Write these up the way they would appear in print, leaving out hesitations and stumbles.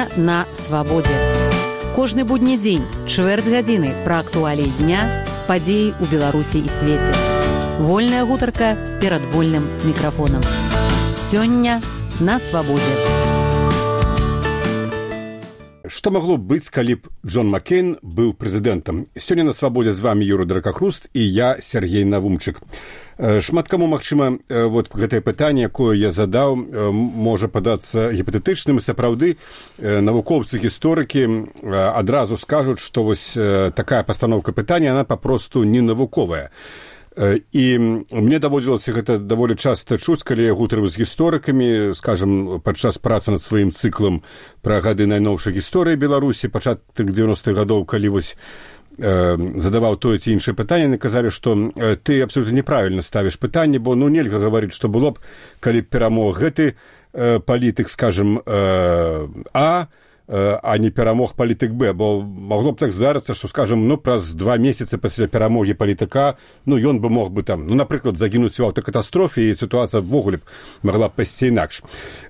Сёння на свабодзе. Кожны будні дзень, чвэрць гадзіны пра актуаліі дня, падзеі ў Беларусі і свеце. Вольная гутарка перад вольным мікрафонам. Сёння на свабодзе. Што магло быць, калі б Джон Маккейн быў прэзідэнтам? Сёння на свабодзе з вами Юра Дракахруст і я, Сергей Навумчык. Шмат каму, магчыма, вот гэтае пытанне, якое я задаў, можа падацца гіпатэтычным, і сапраўды навукоўцы, гісторыкі адразу скажуць, што вось такая пастаноўка пытання, она папросту не навуковая. І мне даводзілася гэта даволі часта чуць, калі я гутарыў з гісторыкамі, скажам, падчас працы над сваім цыклам пра гады найноўшай гісторыі Беларусі, пачатак 90-х гадоў, калі вось задаваў тое ці іншае пытанне, яны казалі, што ты абсолютна неправільна ставіш пытанне, бо нельга гаварыць, што было б, калі б перамог гэты палітык, скажам, а не перамог палітык Б, бо магло б так здарыцца, што, скажам, праз 2 месяцы пасля перамогі палітыка, ён бы мог бы там, напрыклад, загінуць у аўтакатастрофе, і сітуацыя ввогуле б магла б пайсці інакш.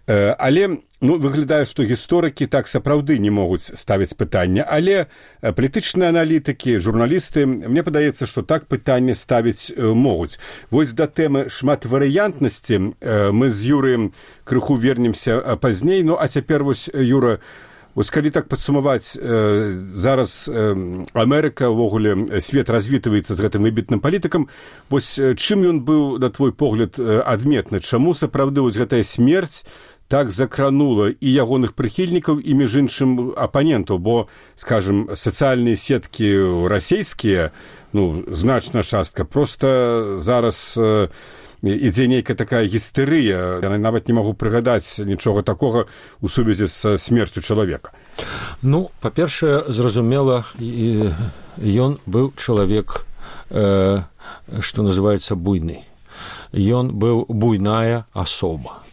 Але выглядае, што гісторыкі так сапраўды не могуць ставіць пытання, але палітычныя аналітыкі, журналісты, мне падаецца, што так пытанне ставіць могуць. Вось да тэмы шматварыянтнасці мы з Юрыем крыху вернемся пазней, а цяпер вось, Юра, вось калі так падсумаваць, зараз Амерыка, ўвогуле, свет развітваецца з гэтым выбітным палітыкам. Вось чым ён быў, на твой погляд, адметны? Чаму сапраўды вось гэтая смерць так закранула і ягоных прыхільнікаў, і, між іншым, апанентаў? Бо, скажем, сацыяльныя сеткі расійскія, значная частка, просто зараз ідзе нейкая такая гістэрыя. Я нават не магу прыгадаць нічога такога ў сувязі з смерцю чалавека. Па-першае, зразумела, ён быў чалавек, што называецца, буйны. Ён быў буйная асоба.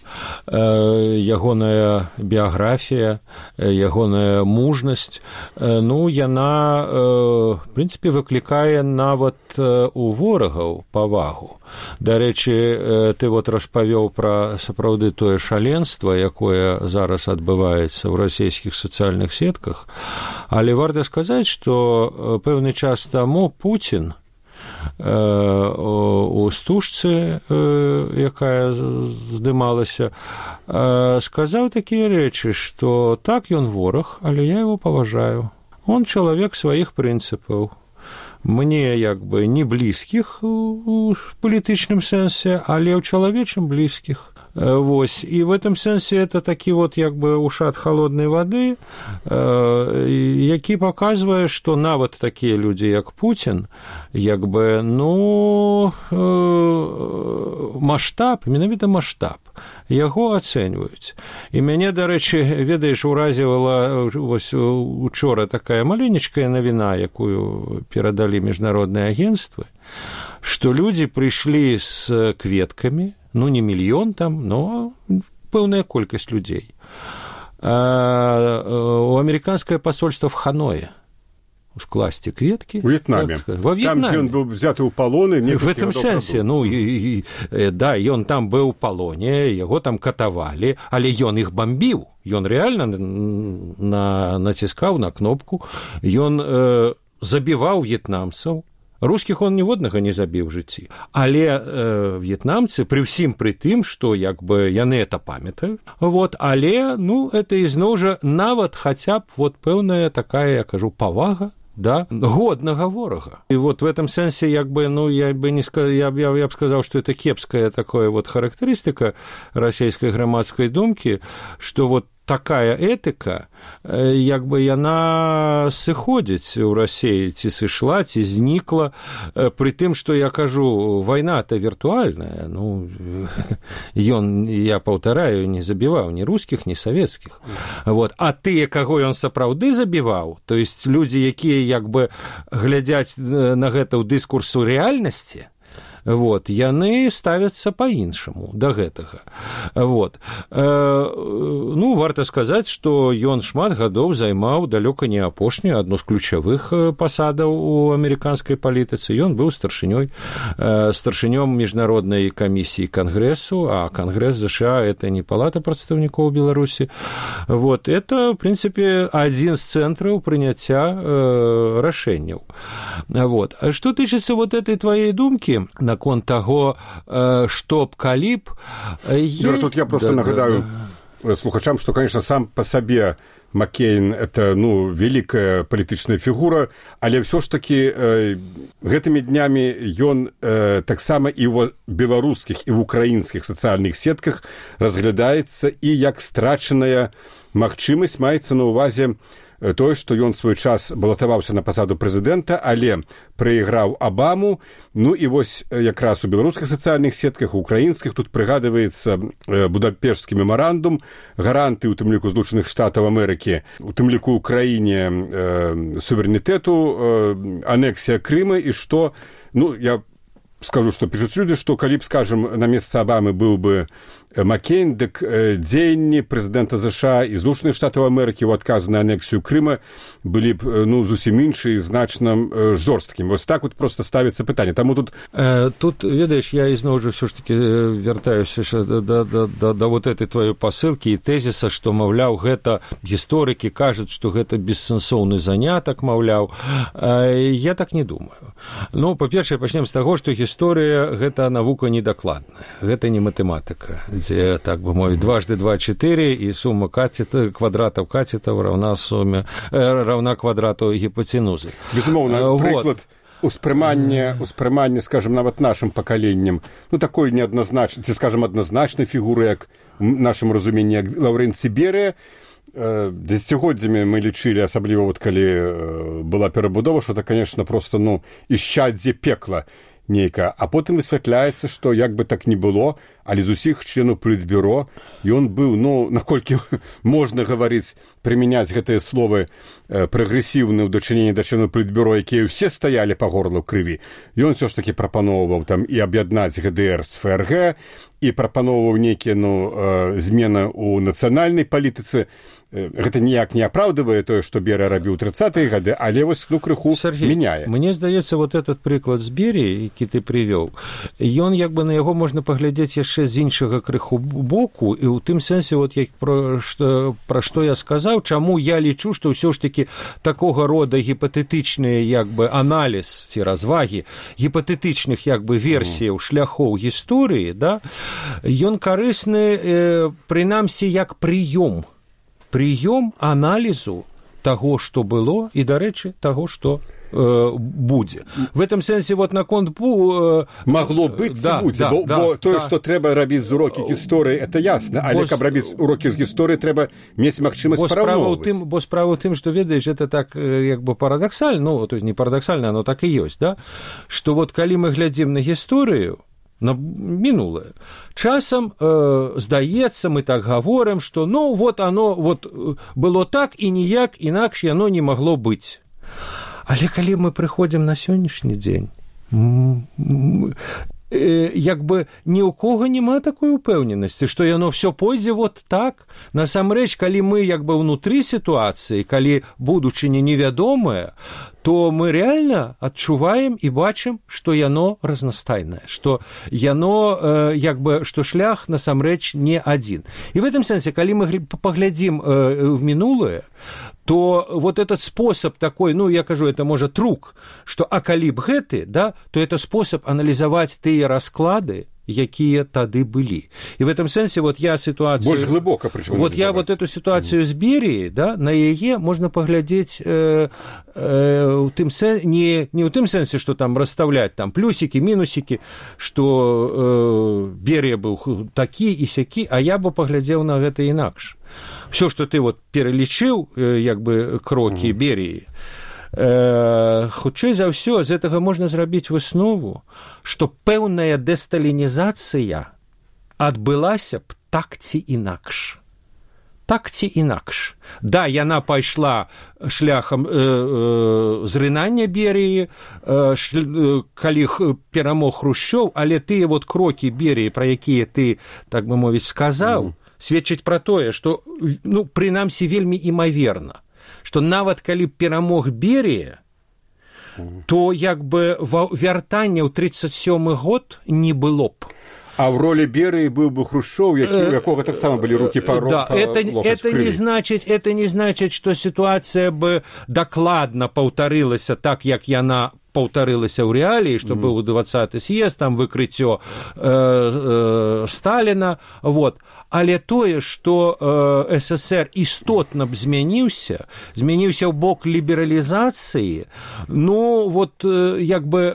Ягоная біяграфія, ягоная мужнасць, яна, в прынцыпе, выклікае нават у ворагаў павагу. Дарэчы, ты распавёў пра сапраўды тое шаленства, якое зараз адбываецца ў расійскіх сацыяльных сетках, але варта сказаць, што пэўны час таму Пуцін у стужцы, якая здымалася, сказаў такія рэчы, што так, ён вораг, але я его паважаю. Он чалавек сваіх прынцыпаў. Мне, не блізкіх у палітычным сэнсе, але ў чалавечым блізкіх. Вось, і в этом сэнсе это такі ушат холоднай вады, які паказвае, што нават такія людзі, як Пуцін, маштаб, менавіта маштаб, яго ацэньваюць. І мяне, дарэчы, ведаеш, уразівала учора такая маленечкая навіна, якую перадалі міжнародныя агенцтвы, што людзі прыйшлі з кветкамі, не мільён там, но пэўная колькасць людзей. У амерыканскае посольство в Ханое скласці кветкі. У В'етнаме. Там, дзе ён быў взяты ў палоны. В этом сэнсе, да, ён там быў у палоне, яго там катавалі, але ён іх бамбіў. Ён рэальна націскаў на кнопку, ён забіваў в'етнамцаў. Рускіх он ніводнага не забіў у жыцці. Але в'етнамцы, пры ўсім пры тым, што яны это памятаюць, але, это ізноў жа нават хаця б пэўная такая, я кажу, павага, да, годнага ворага. І в этом сэнсе, я б сказаў, што это кепская такая характарыстыка расійскай грамадскай думкі, што такая этыка, яна сыходзіць у Расіі, ці сышла, ці знікла, пры тым, што я кажу, вайна-то віртуальная, я паўтараю, не забіваў ні рускіх, ні савецкіх. А тыя, каго ён сапраўды забіваў, то есть людзі, якія глядзяць на гэта ў дыскурсу рэальнасці, вот, яны ставяцца па-іншаму да гэтага. Вот. Ну, варта сказаць, што ён шмат гадоў займаў далёка не апошнюю, адну з ключавых пасадаў у амерыканскай палітыцы. Ён быў старшынём міжнароднай камісіі Кангрэсу, а Кангрэс США – это не палата прадстаўнікоў Беларусі. Вот. Это, в принципе, адзін з цэнтраў прыняцця рашэнняў. Вот. А што тычыцца вот этой твоей думкі наконт таго, што б калі б... Тут я просто нагадаю слухачам, што, конечно, сам па сабе Маккейн – это, ну, великая палітычная фігура, але ўсё ж таки гэтымі днямі ён таксама і ў беларускіх, і ў украінскіх сацыяльных сетках разглядаецца і як страчаная магчымасць, маецца на ўвазе тое, што ён свой час балатаваўся на пасаду прэзідэнта, але прайграў Абаму. Ну і вось якраз у беларускіх сацыяльных сетках, у украінскіх тут прыгадваецца Будапешцкі мемарандум, гаранты, у тым ліку Злучаных Штатаў Амерыкі, у тым ліку Украіне суверэнітэту, анексія Крыма, і што, ну, я скажу, што пішуць людзі, што калі б, скажам, на месцы Абамы быў бы Маккейн, дык дзеянні прэзідэнта США і Злучаных Штатаў Амерыкі ў адказ на анексію Крыма былі б, ну, зусім іншыя, значна жорсткімі. Вось так вот просто ставіцца пытанне. Таму тут... Тут, ведаеш, я ізноў жа ўсё ж таки вяртаюся да вот этой твоей пасылкі і тэзіса, што, маўляў, гэта гісторыкі кажуць, што гэта бессэнсоўны занятак, маўляў. Я так не думаю. Ну, па-першае, пачнем з таго, што гісторыя – гэта навука недакладная, гэта не матэматыка, дзе, так бы мовіць, 2 × 2 – 4, і сума квадратаў катетаў равна квадрату гіпатенузы. Безумоўна, прыклад успрымання, скажем, нават нашым пакаленнем, ну, такой неадназначнай, ці, скажем, адназначнай фігуры, як в нашым разуменні, як Лаўрэнцый Берыя. Дзесяцігоддзямі мы лічылі, асабліва вот калі была перабудова, што это, конечно, просто, ну, ісчаддзе пекла нейкае. А потым высвятляецца, што як бы так не было, але з усіх членаў палітбюро ён быў, ну, наколькі можна гаварыць, прымяняць гэтыя словы, прагрэсіўны ў дачыненні да членаў палітбюро, якія ўсе стаялі па горла ў крыві. Ён ўсё ж такі прапаноўваў там і аб'яднаць ГДР з ФРГ, і прапаноўваў нейкія, ну, змены ў нацыянальнай палітыцы. Гэта ніяк не апраўдывае тое, што Берыя рабіў 30-е гады, але вось, ну, крыху мяняе. Мне здаецца, вот этот прыклад з Беріі, які ты прывёў, ён, як бы, на яго можна паглядзець яшчэ з іншага крыху боку, і ў тым сэнсе, вот, пра што я сказаў, чаму я лічу, што ўсё ж такі такога рода гіпатэтычныя, як бы, аналіз ці развагі гіпатэтычных, як бы, версіяў шляхоў гісторыі, да, ён карысны, прынамсі, як прыём аналізу таго, што было, і, дарэчы, таго, што будзе. В этом сэнсе, вот наконт магло быць, да, будзе, бо тое, што трэба рабіць з урокі гісторыі, это ясна, але каб рабіць урокі з гісторыі, трэба мець магчымасць параўноўваць. Бо справа ў тым, што, ведаеш, это так, як бы, парадаксальна, ну, то есть не парадаксальна, оно так і ёсць, да? Што вот калі мы глядзім на гісторыю, на мінулае, часам здаецца, мы так гаворым, што, ну, вот оно вот было так, і ніяк інакш яно не магло быць. Але калі мы прыходзім на сённяшні дзень, як бы ні ў кого няма такой упэўненасці, што яно все пойдзе вот так. Насамрэч, калі мы як бы ўнутры сітуацыі, калі будучыня невядомая, то мы реально адчуваем і бачым, што яно разнастайнае, што яно, як бы, што шлях насамрэч не адзін. І в этом сэнсе, калі мы паглядзім в мінулае, то вот этот способ такой, ну, я кажу, это, можа, трук, што а калі б гэты, да, то это способ аналізаваць тыя расклады, якія тады былі. І в этом сэнсе, вот я ситуацию... Больш глыбока, прычым. Вот я вот эту ситуацию з Беріі, да, на яе можна паглядзець у тым сэнсе, не ў тым сэнсе, што там расставляць там плюсікі, мінусікі, што Берія быў такі і сякі, а я бы паглядзеў на гэта інакш. Все, што ты вот пералічыў, як бы, крокі Беріі, хутчэй за ўсё, з гэтага можна зрабіць выснову, што пэўная дэсталінізацыя адбылася б так ці інакш. так ці інакш. Да, яна пайшла шляхам зрынання Берыі, калі перамог Хрушчоў, але тыя вот крокі Берыі, пра якія ты, так бы мовіць, сказаў, сведчаць пра тое, што, ну, прынамсі, вельмі імаверна, што нават калі перамог Берыя, то як бы вяртання ў 37 год не было б. А в роли Берии был бы Хрущев, у якого так само были руки по да, это не значит, что ситуация бы докладно повторилася так, як яна повторилася ў рэаліі, што быў 20-й з'езд, там выкрыццё Сталіна, вот. Але тое, што СССР істотна б змяніўся ў бок лібералізацыі, ну, вот, як бы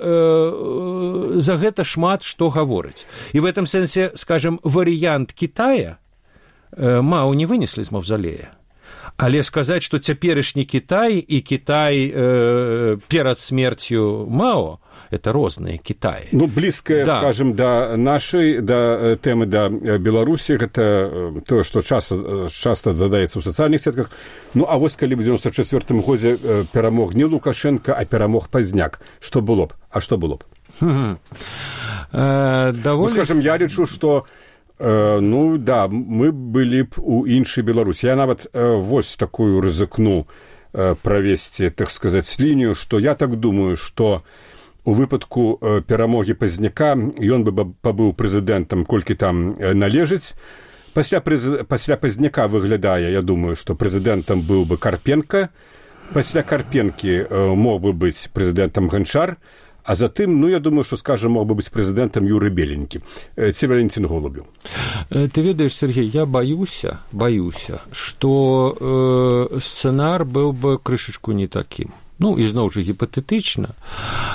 за гэта шмат што гаворыць. І в этом сэнсе, скажем, варыянт Китая Мао не вынеслі з маўзалея. Але сказаць, што цяперашні Кітай і Кітай перад смерцю Мао, это розныя Кітаі. Ну, блізкае, да. Скажем, да нашай, да тэмы да Беларусі, гэта тое, што часта задаецца ў сацыяльных сетках. Ну, а вось калі ў 94-м годзе перамог не Лукашенко, а перамог Пазняк, што было б? А што было б? Ну, скажем, я лічу, што ну, да, мы былі б у іншай Беларусі. Я нават вось такую рызыкну правесці, так сказаць, лінію, што я так думаю, што у выпадку перамогі Пазняка ён бы пабыў прэзідэнтам, колькі там належыць. Пасля Пазняка выглядае, я думаю, што прэзідэнтам быў бы Карпенка, пасля Карпенкі мог бы быць прэзідэнтам Ганчар, а затым, ну, я думаю, што, скажем, мог бы быць прэзідэнтам Юрый Беленькі, ці Валентин Голубеў. Ты ведаеш, Сергей, я баюся, што сцэнар быў бы крышачку не такім. Ну, і зноў жа гіпатэтычна.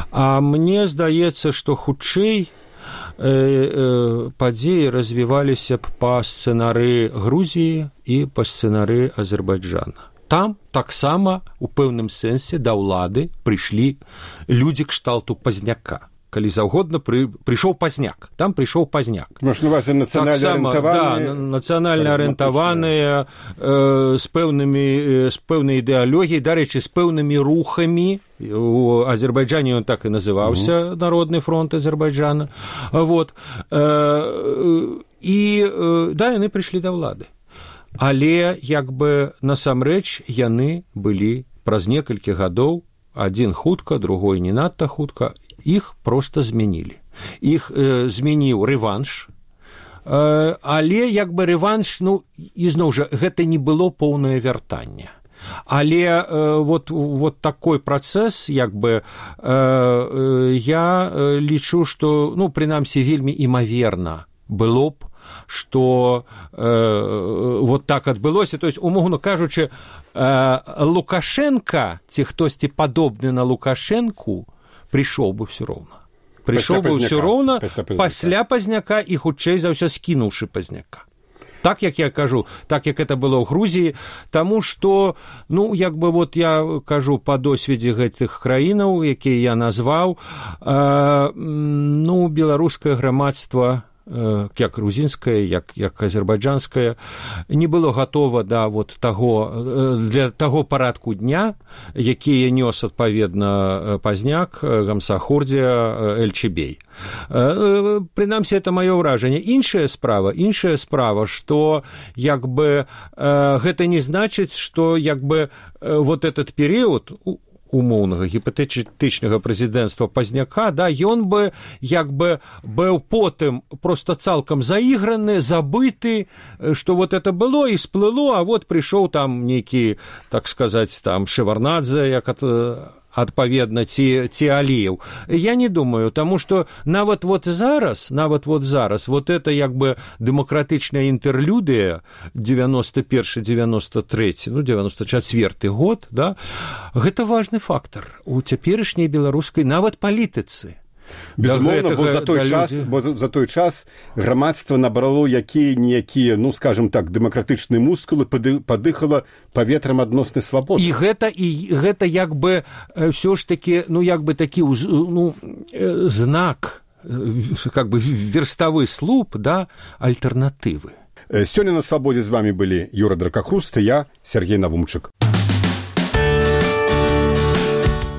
А мне здаецца, што хутчэй падзеі развіваліся б па сцэнары Грузіі і па сцэнары Азербайджана. Там таксама у пэўным сэнсе да ўлады прыйшлі людзі кшталту Пазняка. Калі заўгодна прыйшоў Пазняк. Там прыйшоў Пазняк. Можна вас нацыянальна арыентаваныя. Да, нацыянальна арыентаваныя, з пэўнай ідэалогіяй, дарэчы, з пэўнымі рухамі. У Азербайджане ён так і называўся, Народны фронт Азербайджана. Вот. І, да, яны прыйшлі да ўлады. Але, як бы, насамрэч, яны былі праз некалькі гадоў, адзін хутка, другой не надта хутка, іх проста змянілі. Іх змяніў рэванш, але, як бы, рэванш, ну, і зноў жа, гэта не было поўнае вяртанне. Але вот такой працэс, як бы, я лічу, што, ну, прынамсі, вельмі імаверна было б, што вот так адбылося. То есть, умоўна кажучы, Лукашенко, ці хтосьці падобны на Лукашенку, прыйшоў бы ўсё роўна. Прыйшоў бы ўсё роўна пасля Пазняка і хутчэй за ўсё скінуўшы Пазняка. Так, як я кажу, так, як это было ў Грузіі, таму што, ну, як бы, вот я кажу па досведзе гэтых краінаў, якія я назваў, ну, беларускае грамадства, як грузінскае, як азербайджанскае, не было гатова да вот для таго парадку дня, якія нёс адпаведна Пазняк, Гамсахурдзія, Эльчебей. Прынамсі, это маё ўражанне. Іншая справа, што, як бы, гэта не значыць, што, як бы, вот этот перыяд умоўнага гіпатэтычнага прэзідэнцтва Пазняка, да, ён бы, як бы, быў потым проста цалкам заіграны, забыты, што вот это было і сплыло, а вот прыйшоў там нейкі, так сказаць, там Шеварнадзе, як адпаведна, ці Аліеў. Я не думаю, таму што нават вот зараз, вот это, як бы, дэмакратычная інтэрлюдыя 91-93, ну, 94 год, да, гэта важны фактар у цяперашняй беларускай нават палітыцы. Безумоўна, бо за той час грамадства набрало якія-ніякія, ну, скажем так, дэмакратычныя мускулы, падыхала паветрам адноснай свабоды. І гэта як бы ўсё ж такі, ну, як бы такі, ну, знак, как бы верставы слуп, да, альтэрнатывы. Сёння на свабодзе з вами былі Юра Дракахруст і я, Сергей Навумчык.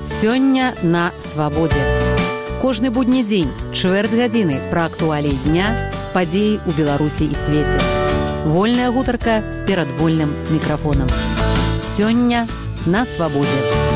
Сёння на свабодзе. Кожны будні дзень, чвэрць гадзіны пра актуаліі дня, падзеі ў Беларусі і свеце. Вольная гутарка перад вольным мікрафонам. Сёння на свабодзе.